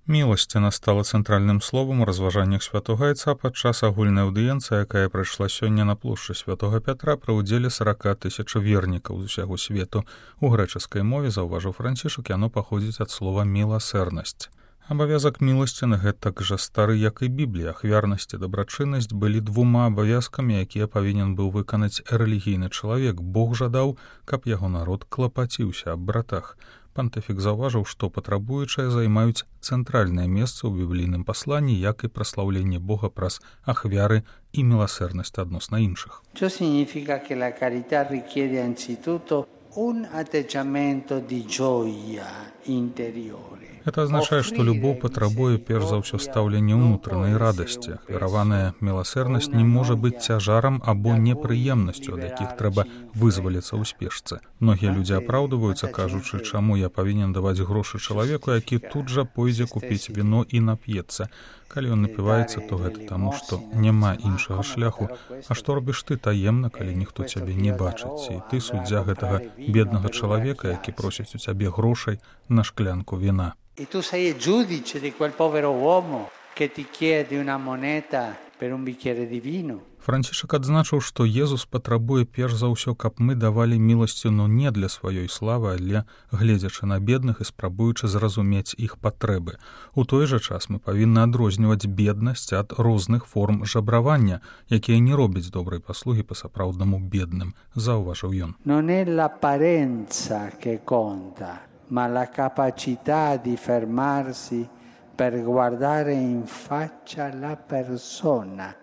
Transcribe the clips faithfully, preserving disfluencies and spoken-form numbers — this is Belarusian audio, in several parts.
Міласціна стала цэнтральным словам у разважаннях святога айца падчас агульнай аўдыенцыі, якая прайшла сёння на плошчы святога Пятра пры ўдзеле сорок тысяч вернікаў з усяго свету. У грэчаскай мове, заўважыў Францішак, яно паходзіць ад слова «міласэрнасць». Абавязак міласціны гэтак жа стары, як і Біблія. Ахвярнасць і дабрачыннасць былі двума абавязкамі, якія павінен быў выканаць рэлігійны чалавек. Бог жадаў, каб яго народ клапаціўся аб братах. Пантыфік заўважыў, што патрабуючыя займаюць цэнтральнае месца ў біблійным пасланні, як і праслаўленне Бога праз ахвяры і міласэрнасць адносна іншых. Ciò significa che la carità richiede anzitutto un atteggiamento di gioia interiore. Это азначае, што любоў патрабуе перш за ўсё стаўлення ўнутранай радасці. Ахвяраваная міласэрнасць не можа быць цяжарам або непрыемнасцю, ад якіх трэба вызваліцца ў спешцы. Многія людзі апраўдваюцца, кажучы, чаму я павінен даваць грошы чалавеку, які тут жа пойдзе купіць віно і нап'ецца. Калі ён напіваецца, то гэта таму, што няма іншага шляху. А што робіш ты таемна, калі ніхто цябе не бачыць? І ты суддзя гэтага беднага чалавека, які просіць у цябе грошай на шклянку віна. E tu sei il giudice di quel povero uomo che ti chiede una moneta per un bicchiere di vino. Францішак адзначыў, што Езус патрабуе перш за ўсё, каб мы давалі міласціну не для сваёй славы, але гледзячы на бедных і спрабуючы зразумець іх патрэбы. У той жа час мы павінны адрозніваць беднасць ад розных форм жабравання, якія не робяць добрай паслугі па-сапраўднаму бедным, заўважыў ён. Non è l'apparenza che conta, ma la capacità di fermarsi per guardare in faccia la persona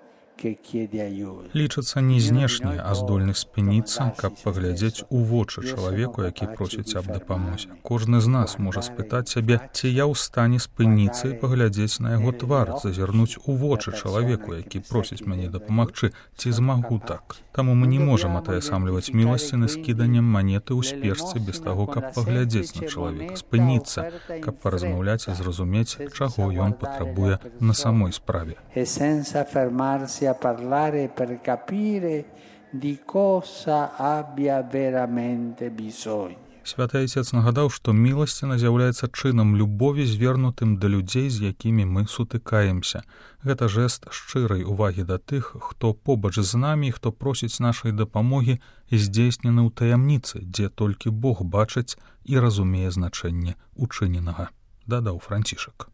che chiede aiuto. Лічыцца не знешне, а здольнасць спыніцца, каб паглядзець у вочы чалавеку, які просіць аб дапамозе. Кожны з нас можа спытаць сябе, ці я ў стане спыніцца і паглядзець на яго твар, зазірнуць у вочы чалавеку, які просіць мяне дапамагчы, ці змагу так. Таму мы не можам атаясамліваць міласціны скіданнем манеты ў спешцы без таго, каб паглядзець на чалавека, спыніцца, каб паразмаўляць і зразумець, чаго ён патрабуе на самой справе. E senza fermarsi a parlare per capire di cosa abbia veramente bisogno. Святы Айцец нагадаў, што міласціна з'яўляецца чынам любові, звернутым да людзей, з якімі мы сутыкаемся. Гэта жэст шчырай увагі да тых, хто побач з намі, хто просіць нашай дапамогі, здзейснены ў таямніцы, дзе толькі Бог бачыць і разумее значэнне учыненага, дадаў Францішак.